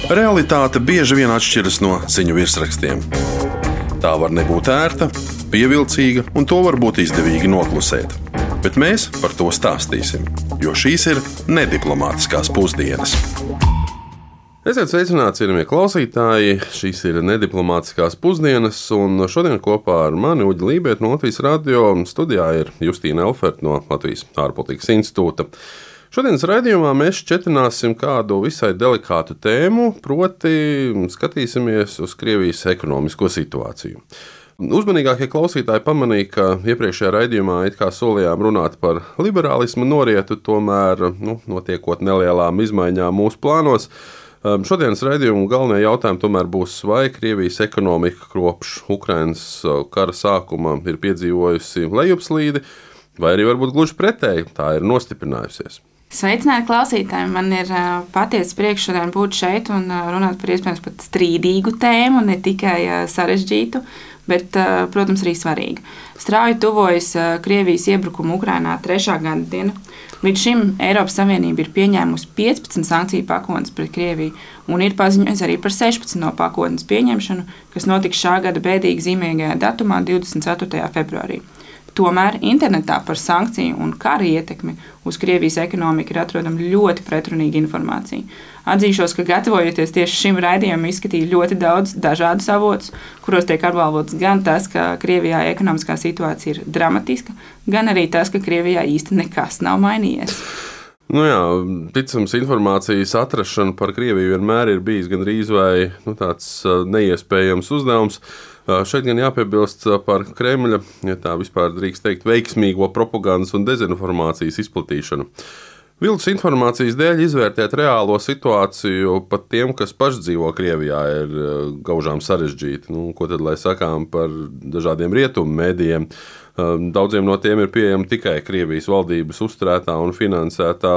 Realitāte bieži vien atšķiras no ziņu virsrakstiem. Tā var nebūt ērta, pievilcīga, un to var būt izdevīgi noklusēt. Bet mēs par to stāstīsim, jo šīs ir nediplomātiskās pusdienas. Esiet sveicināti, cienījamie klausītāji! Šīs ir nediplomātiskās pusdienas, un šodien kopā ar mani Uģi Lībietu no Latvijas radio studijā ir Justīna Elferta no Latvijas ārpolitikas institūta. Šodienas raidījumā mēs šķetināsim kādu visai delikātu tēmu, proti skatīsimies uz Krievijas ekonomisko situāciju. Uzmanīgākie klausītāji pamanīja, ka iepriekšējā raidījumā it kā solījām runāt par liberālismu norietu, tomēr notiekot nelielām izmaiņām mūsu plānos. Šodienas raidījuma galvenie jautājumi tomēr būs, vai Krievijas ekonomika kopš Ukrainas kara sākuma ir piedzīvojusi lejupslīdi, vai arī varbūt gluži pretēji, tā ir nostiprinājusies. Sveicināti klausītāji! Man ir patiesa prieks šodien būt šeit un runāt par iespējams pat strīdīgu tēmu, ne tikai sarežģītu, bet, protams, arī svarīgu. Strauji tuvojas Krievijas iebrukuma Ukrainā 3. gada diena. Līdz šim Eiropas Savienība ir pieņēmusi 15 sankciju pakotnes pret Krieviju un ir paziņojusi arī par 16 no pakotnes pieņemšanu, kas notiks šā gada bēdīgi zīmīgajā datumā 24. februārī. Tomēr internetā par sankciju un kara ietekmi uz Krievijas ekonomiku ir atrodama ļoti pretrunīga informācija. Atzīšos, ka gatavojoties tieši šim raidījumam, izskatīju ļoti daudz dažādus avotus, kuros tiek apgalvots gan tas, ka Krievijā ekonomiskā situācija ir dramatiska, gan arī tas, ka Krievijā īsti nekas nav mainījies. Ticams informācijas atrašana par Krieviju vienmēr ir bijis gandrīz vai tāds neiespējams uzdevums. Šeit gan jāpiebilst par Kremļa, ja tā vispār drīkst teikt, veiksmīgo propagandas un dezinformācijas izplatīšanu. Viltus informācijas dēļ izvērtēt reālo situāciju pat tiem, kas paši dzīvo Krievijā, ir gaužām sarežģīti. Ko tad lai sakām par dažādiem rietumu mēdījiem? Daudziem no tiem ir pieejama tikai Krievijas valdības uzturētā un finansētā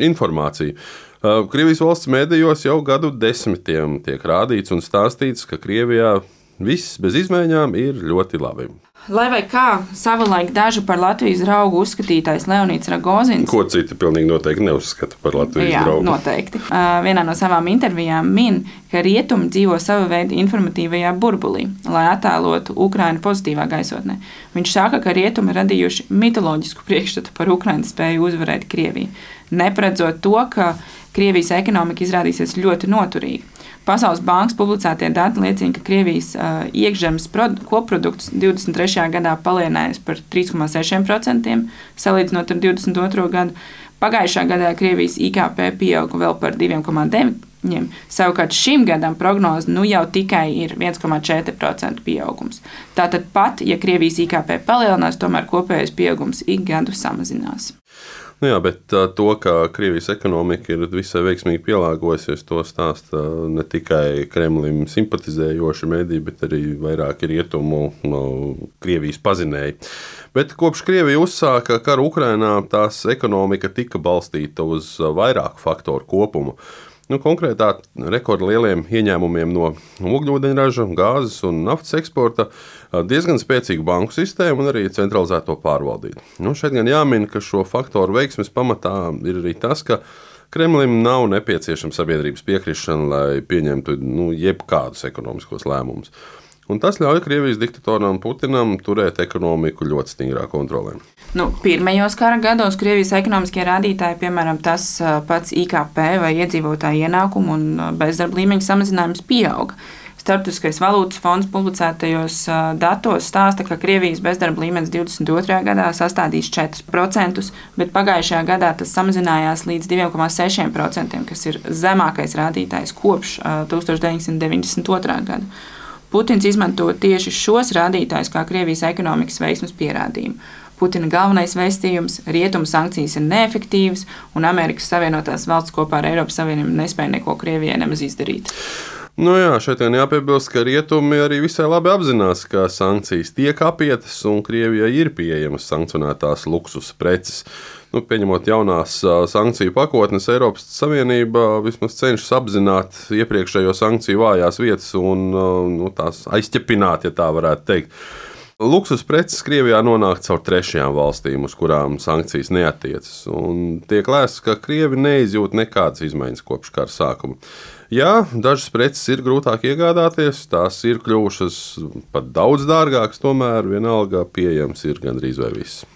informācija. Krievijas valsts mēdījos jau gadu desmitiem tiek rādīts un stāstīts, ka Krievijā viss bez izmaiņām ir ļoti labi. Lai vai kā savulaik dažu par Latvijas draugu uzskatītais Leonīds Rogozins. Ko citi pilnīgi noteikti neuzskata par Latvijas draugu. Jā, noteikti. Vienā no savām intervijām min, ka rietumi dzīvo sava veida informatīvajā burbulī, lai attēlotu Ukrainu pozitīvā gaisotnē. Viņš saka, ka rietumi radījuši mitoloģisku priekšstatu par Ukrainas spēju uzvarēt Krieviju, neparedzot to, ka Krievijas ekonomika izrādīsies ļoti noturīga. Pasaules bankas publicētie dati liecina, ka Krievijas iekšzemes koprodukts 23. gadā palielinājies par 3,6%, salīdzinot ar 22. gadu. Pagājušā gadā Krievijas IKP pieauga vēl par 2,9%, savukārt šim gadam prognoze jau tikai ir 1,4% pieaugums. Tātad pat, ja Krievijas IKP palielinās, tomēr kopējais pieaugums ik gadu samazinās. Bet to, ka Krievijas ekonomika ir visai veiksmīgi pielāgojusies, to stāsta ne tikai Kremlim simpatizējoši mediji, bet arī vairāki rietumu Krievijas pazinēji. Bet kopš Krievija uzsāka karu Ukrainā, tās ekonomika tika balstīta uz vairāku faktoru kopumu. Konkrētā rekordlieliem ieņēmumiem no ogļūdeņraža, gāzes un naftas eksporta, diezgan spēcīgu banku sistēmu un arī centralizēto pārvaldību. Šeit gan jāmin, ka šo faktoru veiksmes pamatā ir arī tas, ka Kremlim nav nepieciešama sabiedrības piekrišana, lai pieņemtu jebkādus ekonomiskos lēmumus. Un tas ļauj Krievijas diktatoram Putinam turēt ekonomiku ļoti stingrā kontrolē. Pirmajos kara gados Krievijas ekonomiskie rādītāji, piemēram, tas pats IKP vai iedzīvotāju ienākumu un bezdarba līmeņa samazinājums pieauga. Starptautiskais valūtas fonds publicētajos datos stāsta, ka Krievijas bezdarba līmenis 22. gadā sastādīs 4%, bet pagājušajā gadā tas samazinājās līdz 2,6%, kas ir zemākais rādītājs kopš 1992. gada. Putins izmanto tieši šos rādītājus kā Krievijas ekonomikas veiksmes pierādījumu. Putina galvenais vēstījums - rietumu sankcijas ir neefektīvas, un Amerikas Savienotās valsts kopā ar Eiropas Savienību nespēja neko Krievijai nemaz izdarīt. Šeit gan jāpiebilst, ka rietumi arī visai labi apzinās, ka sankcijas tiek apietas un Krievijai ir pieejamas sankcionētās luksus preces. Pieņemot jaunās sankciju pakotnes, Eiropas Savienība vismaz cenšas apzināt iepriekšējo sankciju vājās vietas un tās aizķepināt, ja tā varētu teikt. Luksus preces Krievijā nonāk caur trešajām valstīm, uz kurām sankcijas neatiecas. Un tiek lēsts, ka Krievi neizjūt nekādas izmaiņas kopš kara sākuma. Jā, dažas preces ir grūtāk iegādāties, tās ir kļuvušas pat daudz dārgākas, tomēr vienalga pieejams ir gandrīz vai viss.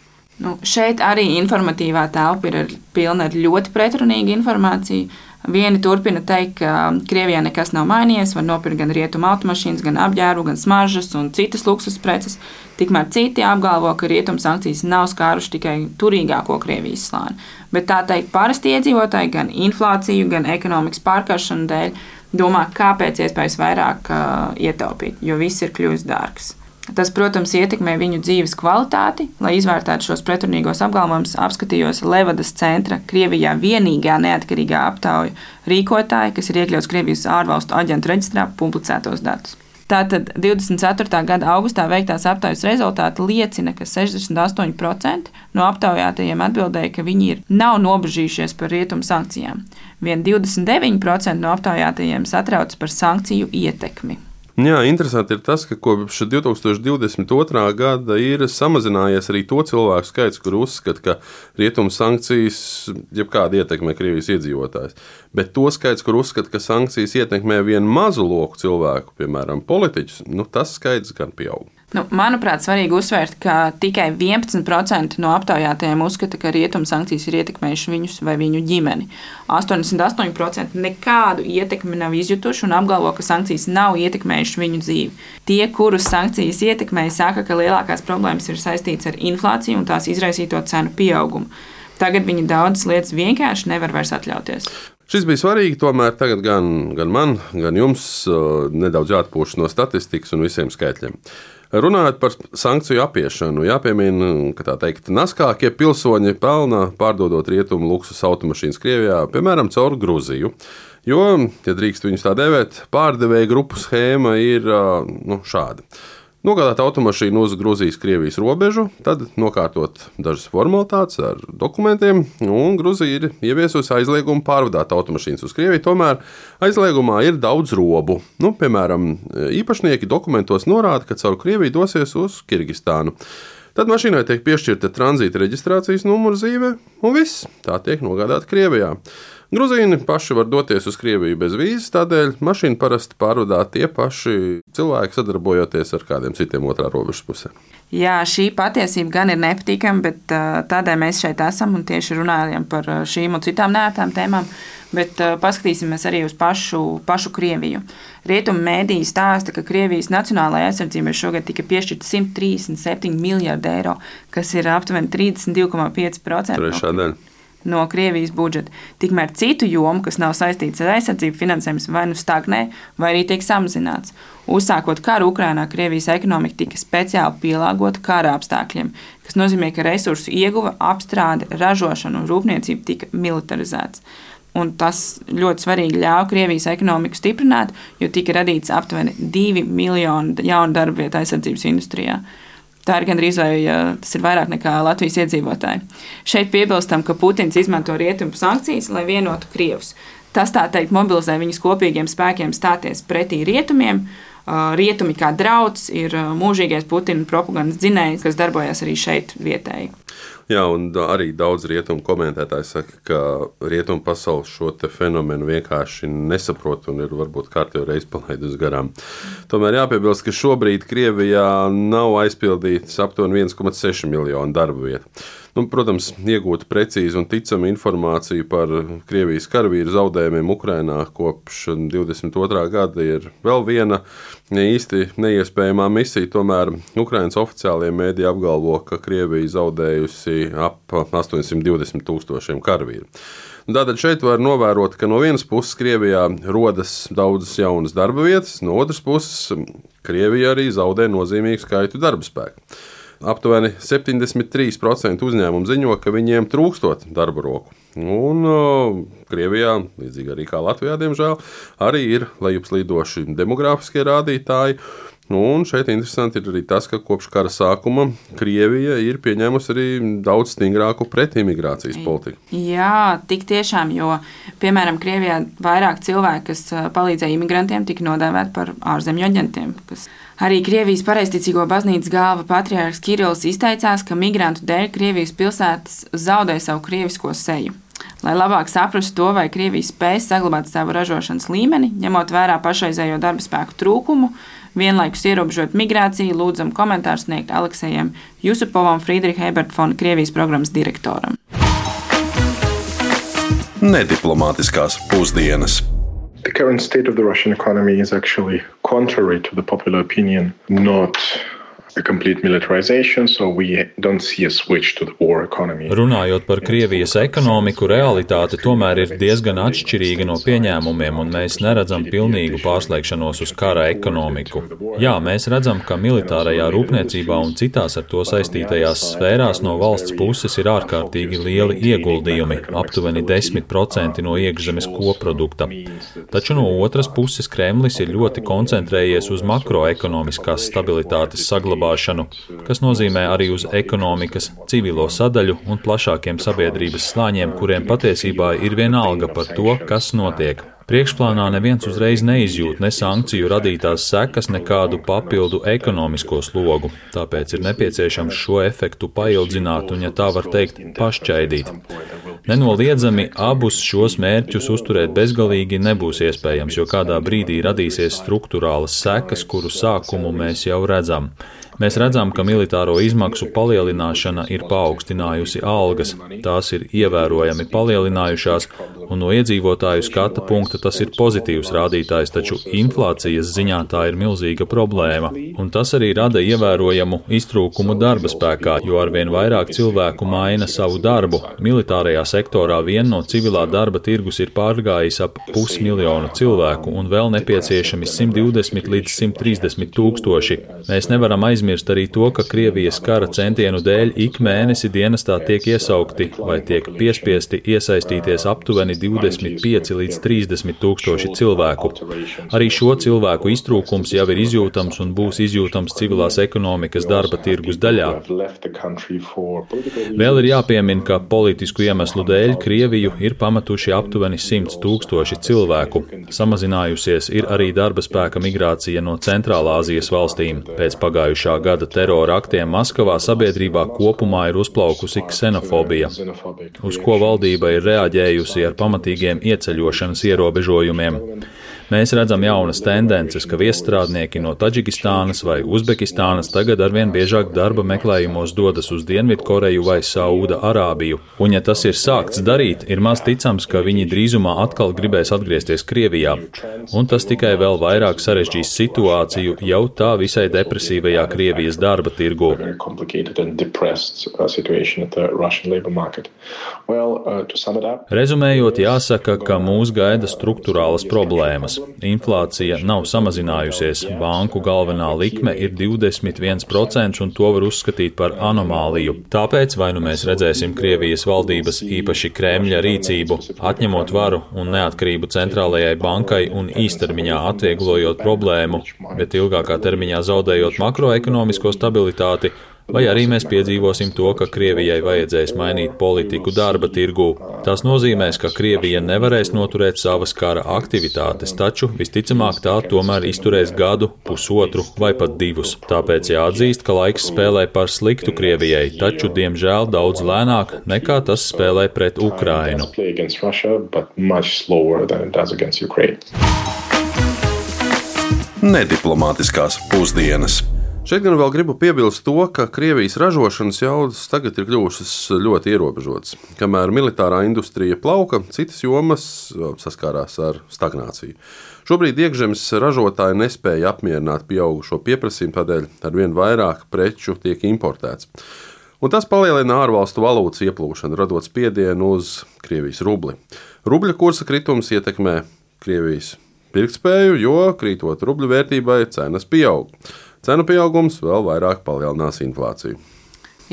Šeit arī informatīvā telpa ir pilna ar ļoti pretrunīgu informāciju. Vieni turpina teikt, ka Krievijā nekas nav mainījies, var nopirkt gan rietumu automašīnas, gan apģērbu, gan smaržas un citas luksus preces. Tikmēr citi apgalvo, ka rietumu sankcijas nav skāruši tikai turīgāko Krievijas slāni. Bet tā teikt, parasti iedzīvotāji gan inflāciju, gan ekonomikas pārkaršanu dēļ domā, kāpēc iespējas vairāk ietaupīt, jo viss ir kļuvis dārgs. Tas, protams, ietekmē viņu dzīves kvalitāti. Lai izvērtētu šos pretrunīgos apgalvojumus, apskatījos Levadas centra Krievijā vienīgā neatkarīgā aptauja rīkotāja, kas ir iekļauts Krievijas ārvalstu aģentu reģistrā, publicētos datus. Tātad 24. gada augustā veiktās aptaujas rezultāti liecina, ka 68% no aptaujātajiem atbildēja, ka viņi nav nobežījušies par rietumu sankcijām. Vien 29% no aptaujātajiem satrauc par sankciju ietekmi. Jā, interesanti ir tas, ka kopš 2022. gada ir samazinājies arī to cilvēku skaits, kur uzskata, ka rietumu sankcijas jebkāda ietekmē Krievijas iedzīvotājs. Bet to skaits, kur uzskata, ka sankcijas ietekmē vienu mazu loku cilvēku, piemēram, politiķus, tas skaits gan pieaug. Manuprāt, svarīgi uzsvērt, ka tikai 11% no aptaujātajiem uzskata, ka rietumu sankcijas ir ietekmējuši viņus vai viņu ģimeni. 88% nekādu ietekmi nav izjutuši un apgalvo, ka sankcijas nav ietekmējuši viņu dzīvi. Tie, kurus sankcijas ietekmēja, saka, ka lielākās problēmas ir saistītas ar inflāciju un tās izraisīto cenu pieaugumu. Tagad viņi daudzas lietas vienkārši nevar vairs atļauties. Šis bija svarīgi, tomēr tagad gan man, gan jums nedaudz jāatpūšas no statistikas un visiem skaitļiem. Runājot par sankciju apiešanu, jāpiemina, ka tā teikt, naskākie pilsoņi pelna pārdodot rietumu luksus automašīnas Krievijā, piemēram, caur Gruziju. Jo, ja drīkst viņus tā dēvēt, pārdevēja grupu schēma ir šāda. Nogādāt automašīnu uz Gruzijas-Krievijas robežu, tad nokārtot dažas formalitātes ar dokumentiem, un Gruzija ir ieviesusi aizliegumu pārvadāt automašīnas uz Krieviju. Tomēr aizliegumā ir daudz robu. Piemēram, īpašnieki dokumentos norāda, ka caur Krieviju dosies uz Kirgistānu. Tad mašīnai tiek piešķirta tranzīta reģistrācijas numura zīme, un viss tā tiek nogādāta Krievijā. Gruzīni paši var doties uz Krieviju bez vīzes, tādēļ mašīnu parasti pārvadā tie paši cilvēki, sadarbojoties ar kādiem citiem otrā robežas pusē. Jā, šī patiesība gan ir nepatīkama, bet tādēļ mēs šeit esam un tieši runājam par šīm un citām neērtām tēmām. Bet paskatīsimies arī uz pašu Krieviju. Rietumu mēdīji stāsta, ka Krievijas nacionālajai aizsardzībai šogad tika piešķirta 137 miljardi eiro, kas ir aptuveni 32,5% no Krievijas budžeta. Tikmēr citu jomu, kas nav saistīts ar aizsardzību, finansējums vai nu stagnē, vai arī tiek samazināts. Uzsākot karu Ukrainā, Krievijas ekonomika tika speciāli pielāgota kara apstākļiem, kas nozīmē, ka resursu ieguva, apstrāde, ražošana un rūpniecība tika militarizēts. Un tas ļoti svarīgi ļāva Krievijas ekonomiku stiprināt, jo tika radīts aptuveni 2 miljoni jaunu darba vietu aizsardzības industrijā. Tā ir gandrīz vai tas ir vairāk nekā Latvijas iedzīvotāji. Šeit piebilstam, ka Putins izmanto rietumu sankcijas, lai vienotu Krievus. Tas, tā teikt, mobilizē viņus kopīgiem spēkiem stāties pretī rietumiem. Rietumi kā drauds ir mūžīgais Putina propagandas dzinējs, kas darbojas arī šeit vietēji. Jā, un arī daudz rietumu komentētāji saka, ka rietumu pasaule šo te fenomenu vienkārši nesaprot un ir varbūt kārtējo reizi palaidus garām. Tomēr jāpiebilst, ka šobrīd Krievijā nav aizpildīts aptuveni 1,6 miljonu darba vietu. Protams, iegūt precīzu un ticamu informāciju par Krievijas karavīru zaudējumiem Ukrainā kopš 22. gada ir vēl viena īsti neiespējamā misija. Tomēr Ukrainas oficiālie mēdī apgalvo, ka Krievija zaudējusi ap 820,000 karavīru. Tātad šeit var novērot, ka no vienas puses Krievijā rodas daudzas jaunas darba vietas, no otras puses Krievija arī zaudē nozīmīgu skaitu darba spēku. Aptuveni 73% uzņēmumu ziņo, ka viņiem trūkstot darba roku. Un Krievijā, līdzīgi arī kā Latvijā, diemžēl, arī ir lejupslīdoši demogrāfiskie rādītāji. Un šeit interesanti ir arī tas, ka kopš kara sākuma Krievija ir pieņēmusi arī daudz stingrāku pretimigrācijas politiku. Jā, tik tiešām, jo, piemēram, Krievijā vairāk cilvēki, kas palīdzēja imigrantiem, tika nodēvēti par ārzemju aģentiem. Arī Krievijas pareizticīgo baznīcas galva patriārhs Kirillis izteicās, ka migrantu dēļ Krievijas pilsētas zaudē savu krievisko seju. Lai labāk saprastu to, vai Krievija spēj saglabāt savu ražošanas līmeni, ņemot vērā pašreizējo darba spēku trūkumu, vienlaikus ierobežot migrāciju, lūdzam komentāru sniegt Aleksejam Jusupovam, Friedricha Eberta fonda Krievijas programmas direktoram. Nediplomātiskās pusdienas. The current state of the Russian economy is actually contrary to the popular opinion, not a complete militarization, so we don't see a switch to the war economy. Runājot par Krievijas ekonomiku, realitāte tomēr ir diezgan atšķirīga no pieņēmumiem, un mēs neredzam pilnīgu pārslēgšanos uz kara ekonomiku. Jā, mēs redzam, ka militārajā rūpniecībā un citās ar to saistītajās sfērās no valsts puses ir ārkārtīgi lieli ieguldījumi, aptuveni 10% no iekšzemes koprodukta. Taču no otras puses Kremlis ir ļoti koncentrējies uz makroekonomiskās stabilitātes saglabāšanu, kas nozīmē arī uz ekonomikas, civilo sadaļu un plašākiem sabiedrības slāņiem, kuriem patiesībā ir vienalga par to, kas notiek. Priekšplānā neviens uzreiz neizjūt ne sankciju radītās sekas, nekādu papildu ekonomisko slogu, tāpēc ir nepieciešams šo efektu paildzināt un, ja tā var teikt, pašķaidīt. Nenoliedzami abus šos mērķus uzturēt bezgalīgi nebūs iespējams, jo kādā brīdī radīsies struktūrālas sekas, kuru sākumu mēs jau redzam. Mēs redzam, ka militāro izmaksu palielināšana ir paaugstinājusi algas, tās ir ievērojami palielinājušās, un no iedzīvotāju skata punkta tas ir pozitīvs rādītājs, taču inflācijas ziņā tā ir milzīga problēma. Un tas arī rada ievērojamu iztrūkumu darba spēkā, jo arvien vairāk cilvēku maina savu darbu. Militārajā sektorā vien no civilā darba tirgus ir pārgājis ap 500 000 cilvēku un vēl nepieciešami 120 līdz 130 tūkstoši. Mēs nevaram aizmirst arī to, ka Krievijas kara centienu dēļ ik mēnesi dienestā tiek iesaukti vai tiek piespiesti iesaistīties aptuveni 25 līdz 30 tūkstoši cilvēku. Arī šo cilvēku iztrūkums jau ir izjūtams un būs izjūtams civilās ekonomikas darba tirgus daļā. Vēl ir jāpiemina, ka politisku iemeslu dēļ Krieviju ir pametuši aptuveni 100 tūkstoši cilvēku. Samazinājusies ir arī darba spēka migrācija no Centrālā Āzijas valstīm. Pēc pagājušā gada terora aktiem Maskavā sabiedrībā kopumā ir uzplaukusi ksenofobija, uz ko valdība ir reaģējusi ar pamatīgiem ieceļošanas ierobežojumiem. Mēs redzam jaunas tendences, ka viesstrādnieki no Taģikistānas vai Uzbekistānas tagad arvien biežāk darba meklējumos dodas uz Dienvidkoreju vai Sauda Arābiju. Un, ja tas ir sākts darīt, ir maz ticams, ka viņi drīzumā atkal gribēs atgriezties Krievijā. Un tas tikai vēl vairāk sarežģīs situāciju jau tā visai depresīvajā Krievijas darba tirgū. Rezumējot, jāsaka, ka mūs gaida struktūrālas problēmas. Inflācija nav samazinājusies, banku galvenā likme ir 21% un to var uzskatīt par anomāliju. Tāpēc vai nu mēs redzēsim Krievijas valdības, īpaši Kremļa rīcību, atņemot varu un neatkarību centrālajai bankai un īstermiņā atvieglojot problēmu, bet ilgākā termiņā zaudējot makroekonomisko stabilitāti, vai arī mēs piedzīvosim to, ka Krievijai vajadzēs mainīt politiku darba tirgū. Tas nozīmēs, ka Krievija nevarēs noturēt savas kara aktivitātes, taču visticamāk tā tomēr izturēs gadu, pusotru vai pat 2. Tāpēc jāatzīst, ka laiks spēlē par sliktu Krievijai, taču diemžēl daudz lēnāk nekā tas spēlē pret Ukrainu. Nediplomātiskās pusdienas. Šeit gan vēl gribu piebilst to, ka Krievijas ražošanas jaudas tagad ir kļuvušas ļoti ierobežotas. Kamēr militārā industrija plauka, citas jomas saskārās ar stagnāciju. Šobrīd iekšzemes ražotāji nespēja apmierināt pieaugušo pieprasījumu, tādēļ arvien vairāk preču tiek importēts. Un tas palielina ārvalstu valūtas ieplūšanu, radot spiedienu uz Krievijas rubli. Rubļa kursa kritums ietekmē Krievijas pirktspēju, jo krītot rubļu vērtībai cenas pieaug. Cenu pieaugums vēl vairāk palielinās inflāciju.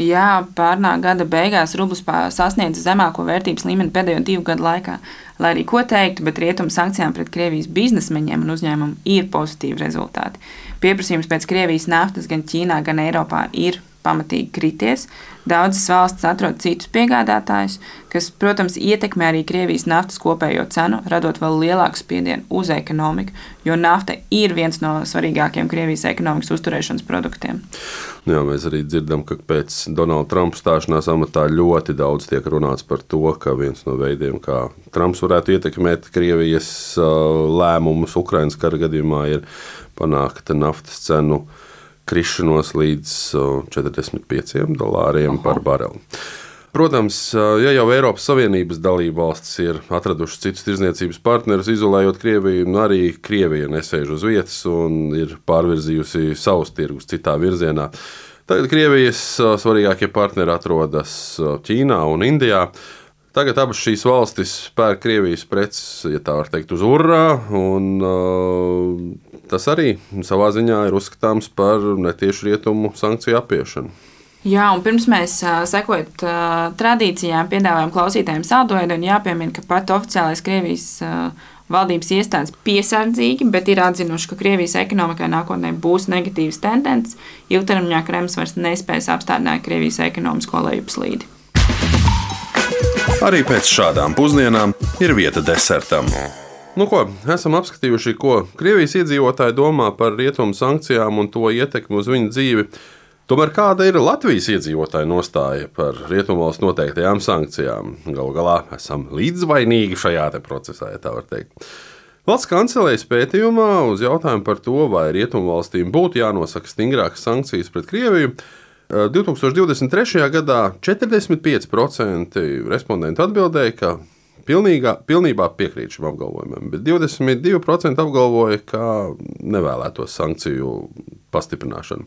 Jā, pērnā gada beigās rublis sasniedza zemāko vērtības līmeni pēdējo 2 gadu laikā. Lai arī ko teiktu, bet rietumu sankcijām pret Krievijas biznesmeņiem un uzņēmumiem ir pozitīvi rezultāti. Pieprasījums pēc Krievijas naftas gan Ķīnā, gan Eiropā ir pamatīgi krities. Daudzas valstis atrod citus piegādātājus, kas, protams, ietekmē arī Krievijas naftas kopējo cenu, radot vēl lielāku spiedienu uz ekonomiku, jo nafta ir viens no svarīgākajiem Krievijas ekonomikas uzturēšanas produktiem. Jā, mēs arī dzirdam, ka pēc Donalda Trumpa stāšanās amatā ļoti daudz tiek runāts par to, ka viens no veidiem, kā Trumps varētu ietekmēt Krievijas lēmumus Ukrainas kara gadījumā, ir panākt naftas cenu krišanos līdz $45 par bareli. Protams, ja jau Eiropas Savienības dalībvalstis ir atradušas citus tirdzniecības partnerus, izolējot Krieviju, arī Krievija nesēž uz vietas un ir pārvirzījusi savus tirgus citā virzienā. Tagad Krievijas svarīgākie partneri atrodas Ķīnā un Indijā. Tagad abas šīs valstis pērk Krievijas preces, ja tā var teikt, uz urā, un tas arī savā ziņā ir uzskatāms par netiešu rietumu sankciju apiešanu. Jā, un pirms mēs sekojot tradīcijām, piedāvājam klausītājiem saldojumu, un jāpiemina, ka pat oficiālais Krievijas valdības iestādes piesardzīgi, bet ir atzinuši, ka Krievijas ekonomikai nākotnē būs negatīvas tendences. Ilgtermiņā Kremlis vairs nespēs apstādināt Krievijas ekonomisko lejupslīdi. Arī pēc šādām pusdienām ir vieta desertam. Nu ko, esam apskatījuši, ko Krievijas iedzīvotāji domā par rietumu sankcijām un to ietekmi uz viņu dzīvi. Tomēr kāda ir Latvijas iedzīvotāja nostāja par rietumvalstu noteiktajām sankcijām? Galu galā esam līdzvainīgi šajā procesā, ja tā var teikt. Valsts kancelējas pētījumā uz jautājumu par to, vai rietumvalstīm būtu jānosaka stingrākas sankcijas pret Krieviju, 2023. gadā 45% respondentu atbildēja, ka pilnībā piekrīt šim apgalvojumam, bet 22% apgalvoja, ka nevēlētos sankciju pastiprināšanu.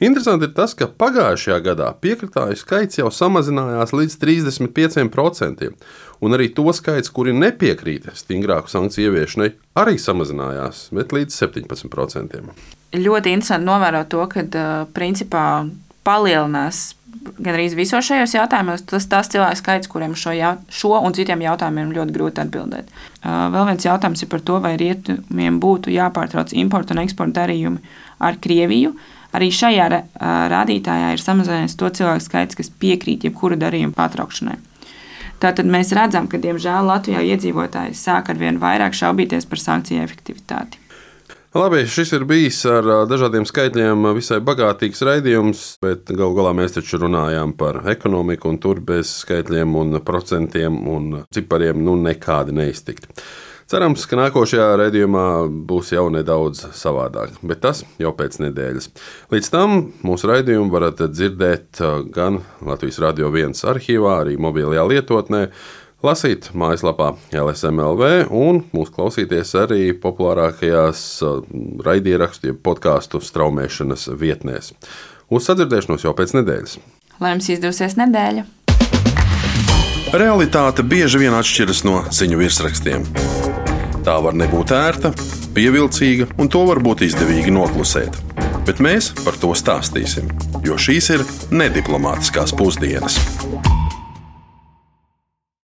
Interesanti ir tas, ka pagājušajā gadā piekritāju skaits jau samazinājās līdz 35%, un arī to skaits, kuri nepiekrīt stingrāku sankciju ieviešanai, arī samazinājās, bet līdz 17%. Ļoti interesanti novērot to, ka principā palielinās gan arī visos šajos jautājumos tas cilvēku skaits, kuriem šo un citiem jautājumiem ļoti grūti atbildēt. Vēl viens jautājums ir par to, vai rietumiem būtu jāpārtrauc importu un eksporta darījumi ar Krieviju. Arī šajā rādītājā ir samazinājies to cilvēku skaits, kas piekrīt jebkuru darījumu pārtraukšanai. Tātad mēs redzam, ka, diemžēl, Latvijā iedzīvotāji sāk arvien vairāk šaubīties par sankciju efektivitāti. Labi, šis ir bijis ar dažādiem skaitļiem visai bagātīgs raidījums, bet galu galā mēs taču runājām par ekonomiku, un tur bez skaitļiem un procentiem un cipariem nekādi neiztikt. Cerams, ka nākošajā raidījumā būs jau nedaudz savādāk, bet tas jau pēc nedēļas. Līdz tam mūsu raidījumu varat dzirdēt gan Latvijas Radio 1 arhīvā, arī mobilajā lietotnē, lasīt mājaslapā LSM.LV un mūs klausīties arī populārākajās raidierakstu podcastu straumēšanas vietnēs. Uz sadzirdēšanos jau pēc nedēļas. Lai jums izdosies nedēļa! Realitāte bieži vien atšķiras no ziņu virsrakstiem. Tā var nebūt ērta, pievilcīga, un to var būt izdevīgi noklusēt. Bet mēs par to stāstīsim, jo šīs ir nediplomātiskās pusdienas.